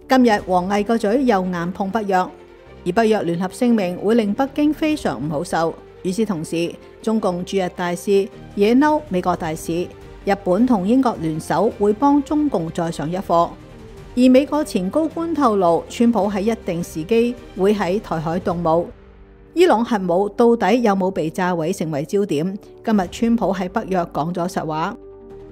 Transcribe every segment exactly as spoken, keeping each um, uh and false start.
今日王毅個嘴又硬碰北約，而北約聯合聲明會令北京非常唔好受。與此同時，中共駐日大使惹嬲美國大使，日本同英國聯手會幫中共再上一課。而美國前高官透露，川普喺一定時機會喺台海動武。伊朗核武到底有冇被炸毀成為焦點。今日川普喺北約講咗實話。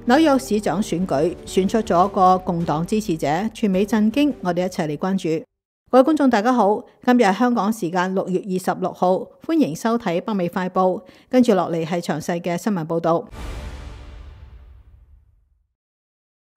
紐約市長選舉選出咗個共黨支持者，全美震驚。我哋一齊嚟關注。各位觀眾大家好，今日係香港時間六月二十六號，歡迎收睇北美快報。跟住落嚟係詳細嘅新聞報道。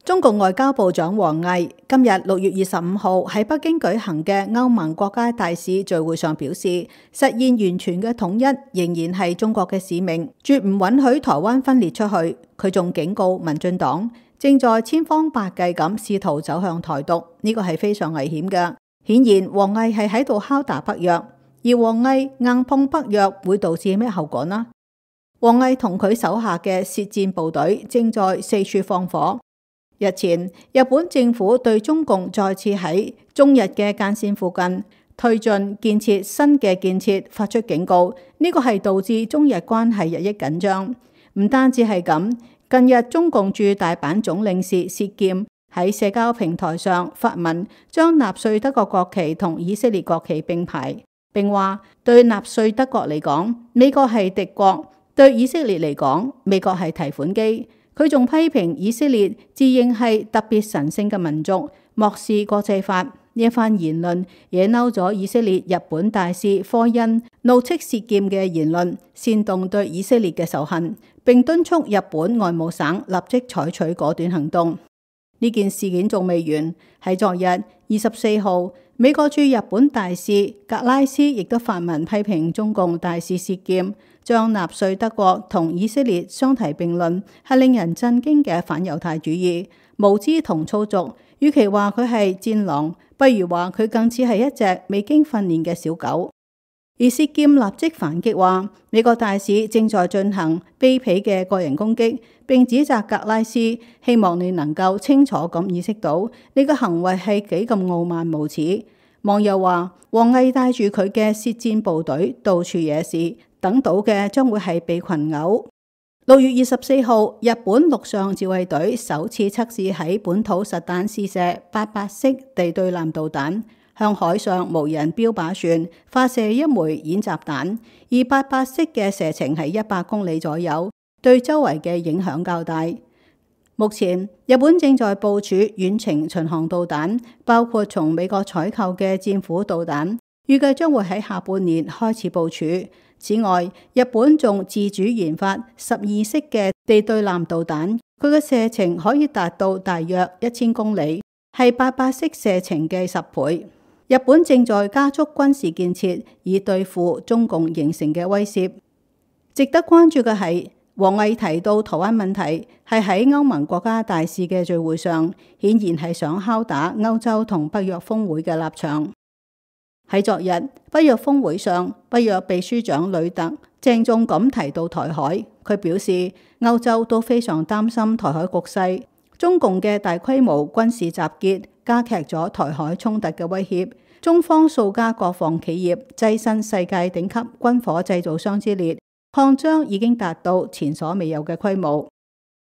中共外交部長王毅今日六月二十五號喺北京舉行嘅歐盟國家大使聚會上表示，實現完全嘅統一仍然係中國嘅使命，絕唔允許台灣分裂出去。佢仲警告民進黨正在千方百計咁試圖走向台獨，呢個係非常危險嘅。顯然王毅係喺度敲打北約，而王毅硬碰北約會導致咩後果呢？王毅同佢手下嘅舌戰部隊正在四處放火。日前，日本政府對中共再次喺中日嘅間線附近推進建設新嘅建設發出警告，呢個係導致中日關係日益緊張。唔單止係咁，近日中共駐大阪總領事薛劍喺社交平台上發文，將納粹德國國旗同以色列國旗並排，並話對納粹德國嚟講，美國係敵國；對以色列嚟講，美國係提款機。佢仲批評以色列自認係特別神聖嘅民族，漠視國際法。呢一番言論惹嬲咗以色列日本大使科恩，怒斥薛劍嘅言論煽動對以色列嘅仇恨，並敦促日本外務省立即採取果斷行動。呢件事件仲未完，喺昨日二十四號，美國駐日本大使格拉斯亦都發文批評中共大使薛劍，將納粹德國同以色列相提並論，係令人震驚嘅反猶太主義、無知同粗俗。與其話佢係戰狼，不如話佢更似係一隻未經訓練嘅小狗。而薛劍立即反擊話，美國大使正在進行卑鄙嘅個人攻擊，並指責格拉斯，希望你能夠清楚咁意識到你嘅行為係幾咁傲慢無恥。網友話，王毅帶住佢嘅舌戰部隊到處惹事，等到嘅將會係被群毆。六月二十四號，日本陸上自衛隊首次測試喺本土實彈試射八八式地對艦導彈，向海上無人標靶船發射一枚演習彈，而八八式嘅射程係一百公里左右，對周圍嘅影響較大。目前，日本正在部署遠程巡航導彈，包括從美國採購嘅戰斧導彈，預計將會喺下半年開始部署。此外，日本仲自主研發十二式嘅地對艦導彈，佢嘅射程可以達到大約一千公里，係八八式射程嘅十倍。日本正在加速軍事建設，以對付中共形成嘅威懾。值得關注嘅係，王毅提到台灣問題，係喺歐盟國家大使嘅聚會上，顯然係想敲打歐洲同北約峰會嘅立場。喺昨日北約峰會上，北約秘書長呂特鄭重咁提到台海，佢表示歐洲都非常擔心台海局勢，中共嘅大規模軍事集結加劇咗台海衝突嘅威脅，中方數家國防企業躋身世界頂級軍火製造商之列，擴張已經達到前所未有嘅規模。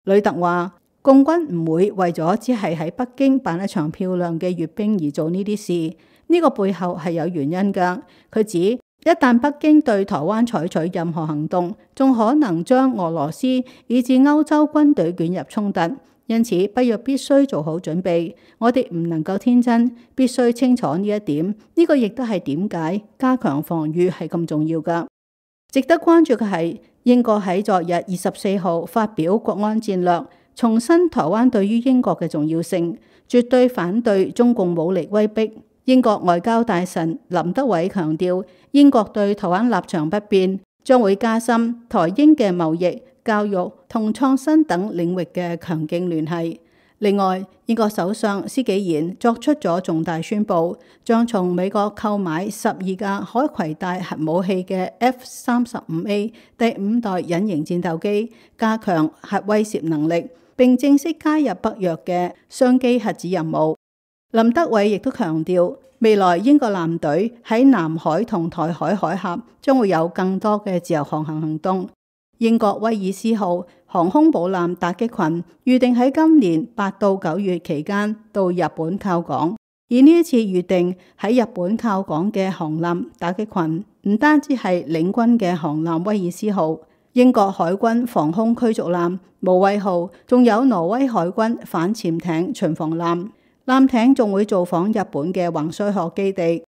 呂特話，共軍唔會為咗只係喺北京辦一場漂亮嘅閱兵而做呢啲事。呢個背後係有原因㗎。佢指一旦北京對台灣採取任何行動，仲可能將俄羅斯以至歐洲軍隊捲入衝突，因此北約必須做好準備。我哋唔能夠天真，必須清楚呢一點。呢個亦都係點解加強防禦係咁重要㗎。值得關注嘅係，英國喺昨日二十四號發表國安戰略，重申台灣對於英國嘅重要性，絕對反對中共武力威逼。英國外交大臣林德偉強調，英國對台灣立場不變，將會加深台英嘅貿易、教育同創新等領域嘅強勁聯繫。另外，英國首相施紀賢作出咗重大宣佈，將從美國購買十二架可攜帶核武器嘅 F 三十五 A 第五代隱形戰鬥機，加強核威懾能力，並正式加入北約嘅雙機核子任務。林德偉亦都強調，未來英國艦隊喺南海同台海海峽將會有更多嘅自由航行行動。英國威爾斯號航空母艦打擊群預定喺今年八到九月期間到日本靠港，而呢一次預定喺日本靠港嘅航艦打擊群，唔單止係領軍嘅航艦威爾斯號、英國海軍防空驅逐艦無畏號，仲有挪威海軍反潛艇巡防艦。艦艇仲會造訪日本嘅橫須賀基地。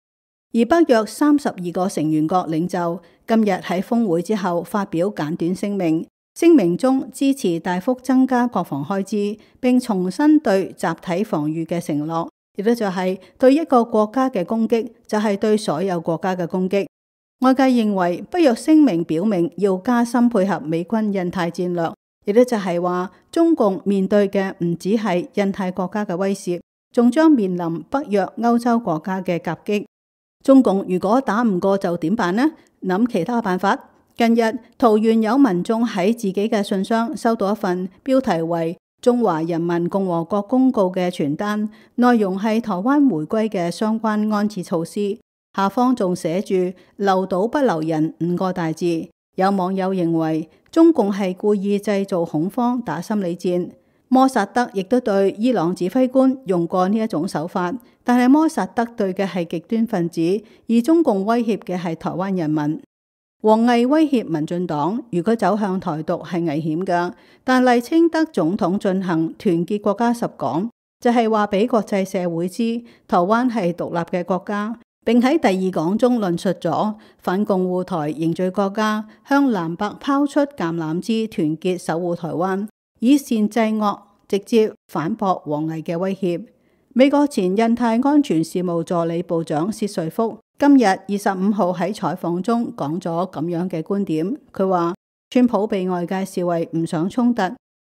而北約三十二個成員國領袖今日喺峰會之後發表簡短聲明，聲明中支持大幅增加國防開支，並重申對集體防禦嘅承諾，亦都就係對一個國家嘅攻擊就係對所有國家嘅攻擊。外界認為北約聲明表明要加深配合美軍印太戰略，亦都就係話中共面對嘅唔只係印太國家嘅威懾，仲將面臨北約歐洲國家嘅夾擊。中共如果打唔過就點辦呢？諗其他辦法。近日桃園有民眾喺自己嘅信箱收到一份標題為《中華人民共和國公告》嘅傳單，內容係台灣回歸嘅相關安置措施，下方仲寫住留島不留人五個大字。有網友認為中共係故意製造恐慌打心理戰。摩薩德亦都對伊朗指揮官用過呢一種手法，但係摩薩德對嘅係極端分子，而中共威脅嘅係台灣人民。王毅威脅民進黨，如果走向台獨係危險㗎，但賴清德總統進行團結國家十講，就係話俾國際社會知台灣係獨立嘅國家，並喺第二講中論述咗反共護台凝聚國家，向藍白拋出橄欖枝，團結守護台灣，以善制惡，直接反駁王毅嘅威脅。美國前印太安全事務助理部長薛瑞福今日二十五號喺採訪中講咗咁樣嘅觀點。佢話川普被外界視為唔想衝突、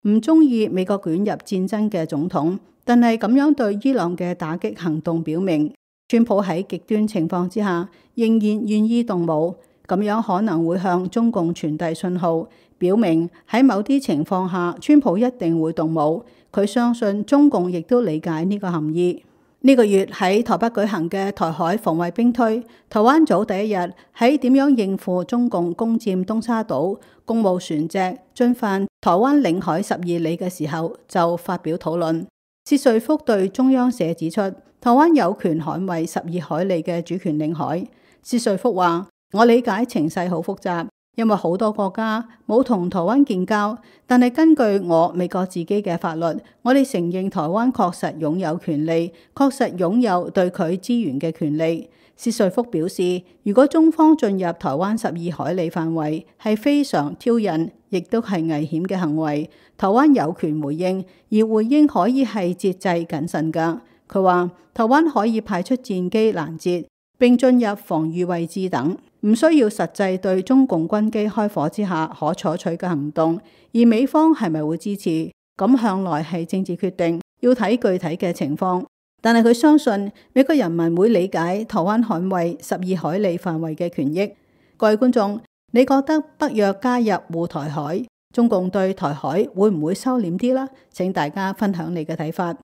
唔中意美國捲入戰爭嘅總統，但係咁樣對伊朗嘅打擊行動表明，川普喺極端情況之下仍然願意動武，咁樣可能會向中共傳遞信號，表明喺某啲情況下，川普一定會動武。佢相信中共亦都理解呢個含義。呢個月喺台北舉行嘅台海防衛兵推，台灣早第一日喺點樣應付中共攻佔東沙島、公務船隻進犯台灣領海十二里嘅時候，就發表討論。薛瑞福對中央社指出，台灣有權捍衛十二海里嘅主權領海。薛瑞福話：我理解情勢好複雜，因為好多國家冇同台灣建交，但係根據我美國自己嘅法律，我哋承認台灣確實擁有權利，確實擁有對佢資源嘅權利。薛瑞福表示，如果中方進入台灣十二海里範圍，係非常挑釁，亦都係危險嘅行為。台灣有權回應，而回應可以係節制謹慎㗎。佢話台灣可以派出戰機攔截，並進入防禦位置等，唔需要實際對中共軍機開火之下可採取嘅行動。而美方係咪會支持？咁向來係政治決定，要睇具體嘅情況。但係佢相信美國人民會理解台灣捍衛十二海里範圍嘅權益。各位觀眾，你覺得北約加入護台海，中共對台海會唔會收斂啲啦？請大家分享你嘅睇法。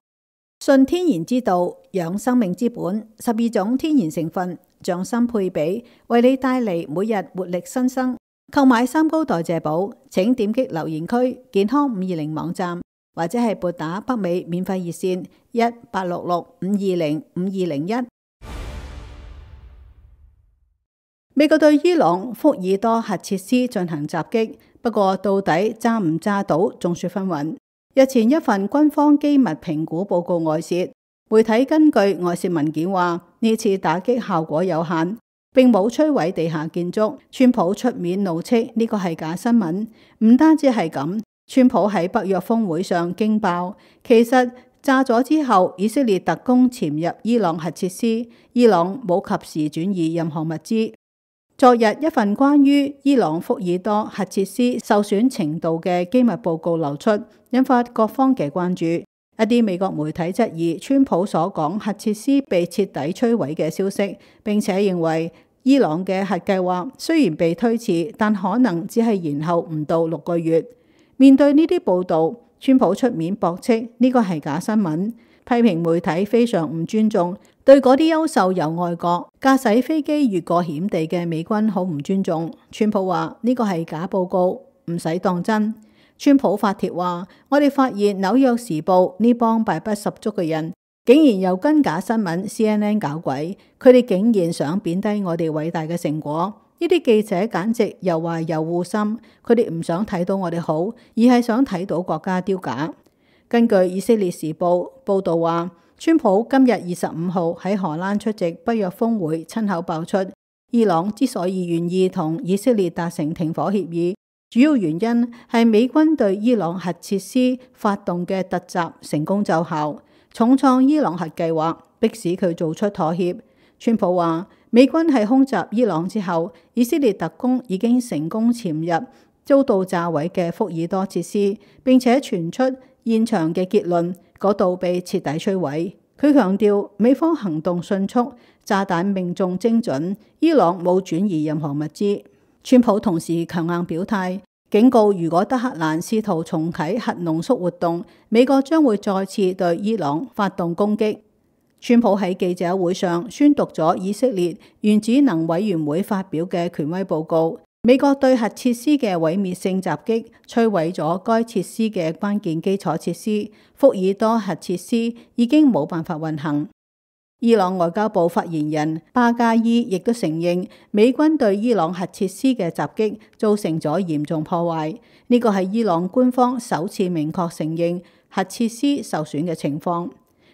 信天然之道，養生命之本，十二種天然成分，匠心配比，為你帶嚟每日活力新生。購買三高代謝寶，請點擊留言區健康五二零網站，或者係撥打北美免費熱線一八六六五二零五二零一。美國對伊朗福爾多核設施進行襲擊，不過到底炸唔炸到眾說紛紜。日前一份軍方機密評估報告外泄，媒體根據外泄文件話，呢次打擊效果有限，並冇摧毀地下建築。川普出面怒斥呢個係假新聞。唔單止係咁，川普喺北約峰會上驚爆，其實炸咗之後，以色列特工潛入伊朗核設施，伊朗冇及時轉移任何物資。昨日一份關於伊朗福爾多核設施受損程度嘅機密報告流出，引發各方嘅關注。一啲美國媒體質疑川普所講核設施被徹底摧毀嘅消息，並且認為伊朗嘅核計劃雖然被推遲，但可能只係延後唔到六個月。面對呢啲報導，川普出面駁斥呢個係假新聞，批評媒體非常唔尊重，對嗰啲優秀由外國駕駛飛機越過險地嘅美軍好唔尊重。川普話呢個係假報告，唔使當真。川普發帖話：我哋發現紐約時報呢幫敗筆十足嘅人，竟然又跟假新聞 C N N 搞鬼，佢哋竟然想貶低我哋偉大嘅成果。呢啲記者簡直又壞又惡心，佢哋唔想睇到我哋好，而係想睇到國家丟架。根據以色列時報報導話，川普今日二十五號喺荷蘭出席北約峰會，親口爆出伊朗之所以願意同以色列達成停火協議，主要原因係美軍對伊朗核設施發動嘅突襲成功奏效，重創伊朗核計劃，迫使佢做出妥協。川普話：美軍喺空襲伊朗之後，以色列特工已經成功潛入遭到炸毀嘅福爾多設施，並且傳出現場嘅結論，嗰度被徹底摧毀。佢強調美方行動迅速，炸彈命中精準，伊朗冇轉移任何物資。川普同時強硬表態，警告如果德黑蘭試圖重啟核濃縮活動，美國將會再次對伊朗發動攻擊。川普喺記者會上宣讀咗以色列原子能委員會發表嘅權威報告，美國對核設施嘅毀滅性襲擊摧毀咗該設施嘅關鍵基礎設施，福爾多核設施已經冇辦法運行。伊朗外交部發言人巴加伊亦都承認，美軍對伊朗核設施嘅襲擊造成咗嚴重破壞，呢個係伊朗官方首次明確承認核設施受損嘅情況。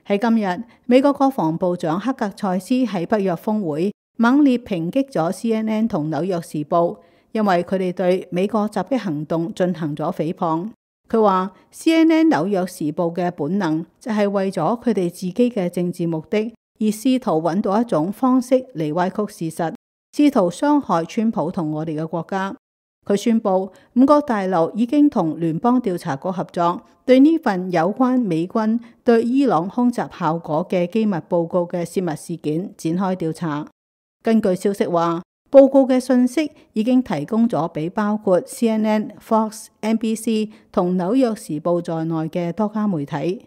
喺今日，美國國防部長克格塞斯喺北約峰會猛烈抨擊咗 C N N 同紐約時報，因為佢哋對美國襲擊行動進行咗誹謗。佢話 C N N 紐約時報嘅本能就係為咗佢哋自己嘅政治目的，而試圖揾到一種方式嚟歪曲事實，試圖傷害川普同我哋嘅國家。佢宣布五角大樓已經同聯邦調查局合作，對呢份有關美軍對伊朗空襲效果嘅機密報告嘅泄密事件展開調查。根據消息話，報告嘅信息已經提供咗俾包括 C N N、Fox、N B C 同紐約時報在內嘅多家媒體。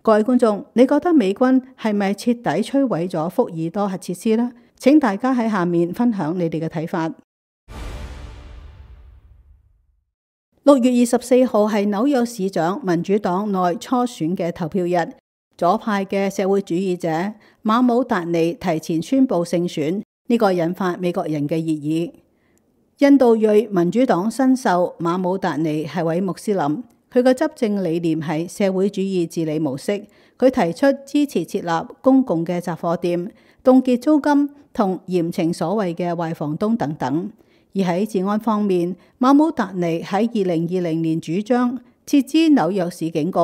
各位觀眾，你覺得美軍係咪徹底摧毀咗福爾多核設施呢？請大家喺下面分享你哋嘅睇法。六月二十四號係紐約市長民主黨內初選嘅投票日，左派嘅社會主義者馬姆達尼提前宣布勝選，呢個引發美國人嘅熱議。印度裔民主黨新秀馬姆達尼係位穆斯林，佢嘅執政理念係社會主義治理模式。佢提出支持設立公共嘅雜貨店、凍結租金同嚴懲所謂嘅壞房東等等。而喺治安方面，馬姆達尼喺二零二零年主張撤資紐約市警局，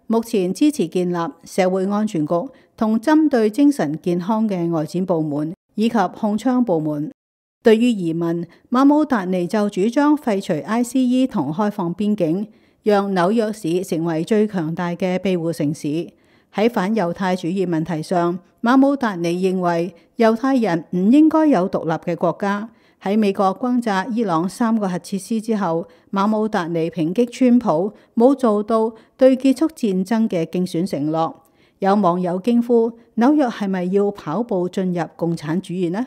目前支持建立社會安全局同針對精神健康嘅外展部門以及控槍部門。對於移民，馬姆達尼就主張廢除 I C E 同開放邊境，讓紐約市成為最強大嘅庇護城市。喺反猶太主義問題上，馬姆達尼認為猶太人唔應該有獨立嘅國家。喺美國轟炸伊朗三個核設施之後，馬姆達尼抨擊川普冇做到對結束戰爭嘅競選承諾。有網友驚呼：紐約係咪要跑步進入共產主義呢？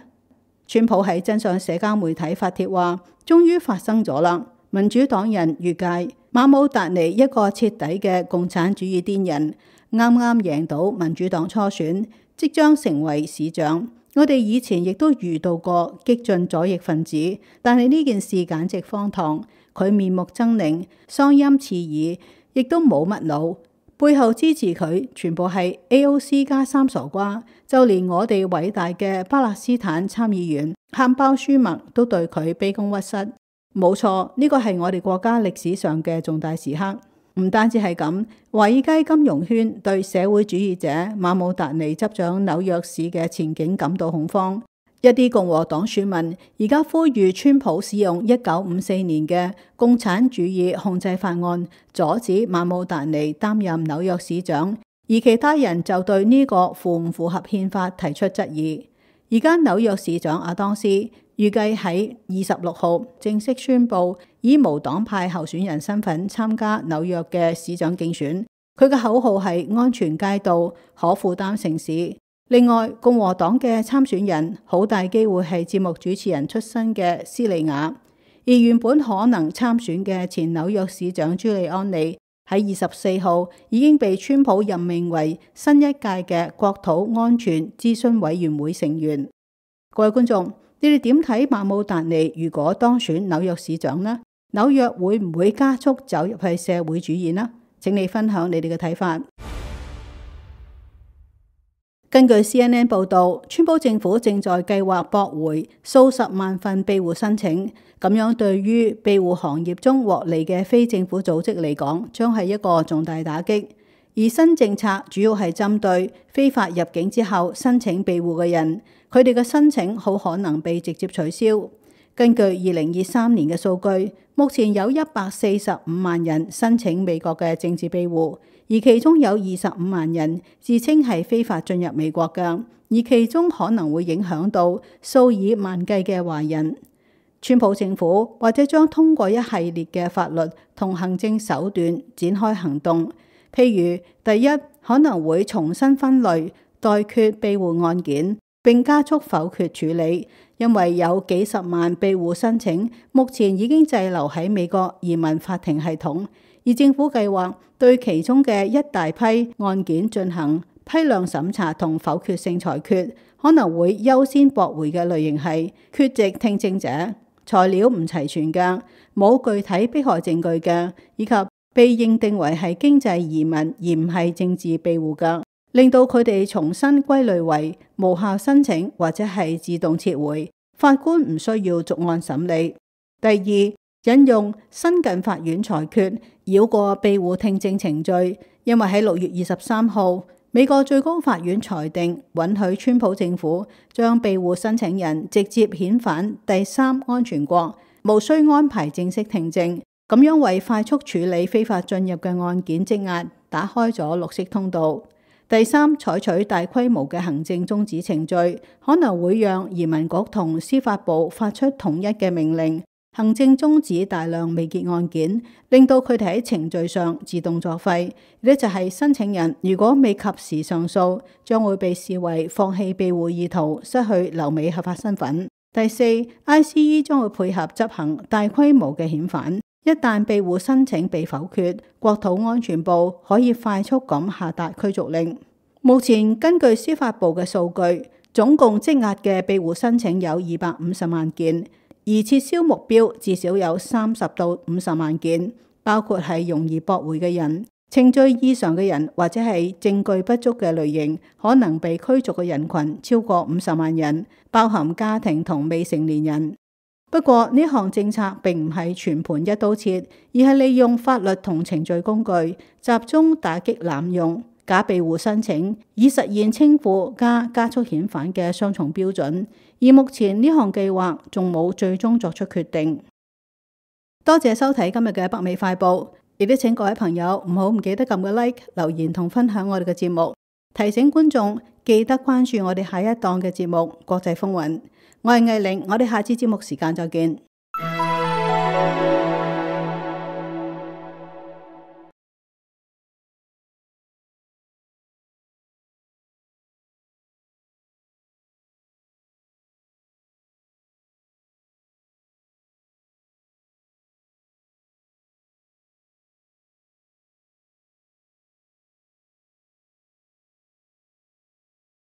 川普喺真相社交媒體發帖話：終於發生咗啦！民主黨人預計馬姆達尼一個徹底嘅共產主義癲人，啱啱贏到民主黨初選，即將成為市長。我哋以前亦都遇到過激進左翼分子，但係呢件事簡直荒唐。佢面目猙獰，嗓音刺耳，亦都冇乜腦。背後支持佢全部係 A O C 加三傻瓜，就連我哋偉大嘅巴勒斯坦參議員漢包舒默都對佢卑躬屈膝。冇錯，呢個係我哋國家歷史上嘅重大時刻。唔單止係咁，華爾街金融圈對社會主義者馬姆達尼執掌紐約市嘅前景感到恐慌。一啲共和黨選民而家呼籲川普使用一九五四年嘅共產主義控制法案，阻止馬姆達尼擔任紐約市長，而其他人就對呢個符唔符合憲法提出質疑。而家紐約市長阿當斯預計喺二十六號正式宣布以無黨派候選人身份參加紐約嘅市長競選。佢嘅口號係安全街道、可負擔城市。另外，共和黨嘅參選人好大機會係節目主持人出身嘅斯利亞，而原本可能參選嘅前紐約市長朱利安尼喺二十四號已經被川普任命為新一屆嘅國土安全諮詢委員會成員。各位觀眾，你哋點睇馬姆達尼如果當選紐約市長呢？紐約會唔會加速走入去社會主義呢？請你分享你哋嘅睇法。根據 C N N 報道，川普政府正在計劃駁回數十萬份庇護申請，咁樣對於庇護行業中獲利嘅非政府組織嚟講，將係一個重大打擊。而新政策主要係針對非法入境之後申請庇護嘅人，佢哋嘅申請好可能被直接取消。根據二零二三年嘅數據，目前有一百四十五萬人申請美國嘅政治庇護，而其中有二十五萬人自稱係非法進入美國嘅，而其中可能會影響到數以萬計嘅華人。川普政府或者將通過一系列嘅法律同行政手段展開行動，譬如第一，可能會重新分類待決庇護案件，並加速否決處理，因為有幾十萬庇護申請目前已經滯留喺美國移民法庭系統，而政府計劃對其中嘅一大批案件進行批量審查同否決性裁決，可能會優先駁回嘅類型係缺席聽證者、材料唔齊全嘅、冇具體迫害證據嘅，以及被認定為係經濟移民而唔係政治庇護嘅，令到佢哋重新歸類為無效申請或者係自動撤回，法官唔需要逐案審理。第二，引用新近法院裁決繞過庇護聽證程序，因為喺六月二十三號，美國最高法院裁定允許川普政府將庇護申請人直接遣返第三安全國，無需安排正式聽證，咁樣為快速處理非法進入嘅案件積壓打開咗綠色通道。第三，採取大規模嘅行政終止程序，可能會讓移民局同司法部發出統一嘅命令，行政終止大量未結案件，令到佢哋喺程序上自動作廢。呢就係申請人如果未及時上訴，將會被視為放棄庇護意圖，失去留美合法身份。第四， I C E 將會配合執行大規模嘅遣返。一旦庇護申請被否決，國土安全部可以快速咁下達驅逐令。目前根據司法部嘅數據，總共積壓嘅庇護申請有二百五十萬件，而撤銷目標至少有三十到五十萬件，包括係容易駁回嘅人、程序異常嘅人或者係證據不足嘅類型，可能被驅逐嘅人群超過五十萬人，包含家庭同未成年人。不過呢項政策並唔係全盤一刀切，而係利用法律同程序工具，集中打擊濫用假庇護申請，以實現清庫加加速遣返嘅雙重標準。而目前呢項計劃仲冇最終作出決定。多謝收睇今日嘅北美快報，亦都請各位朋友唔好唔記得撳個 like、留言同分享我哋嘅節目。提醒觀眾記得關注我哋下一檔嘅節目《國際風雲》。我係藝玲，我哋下次節目時間再見。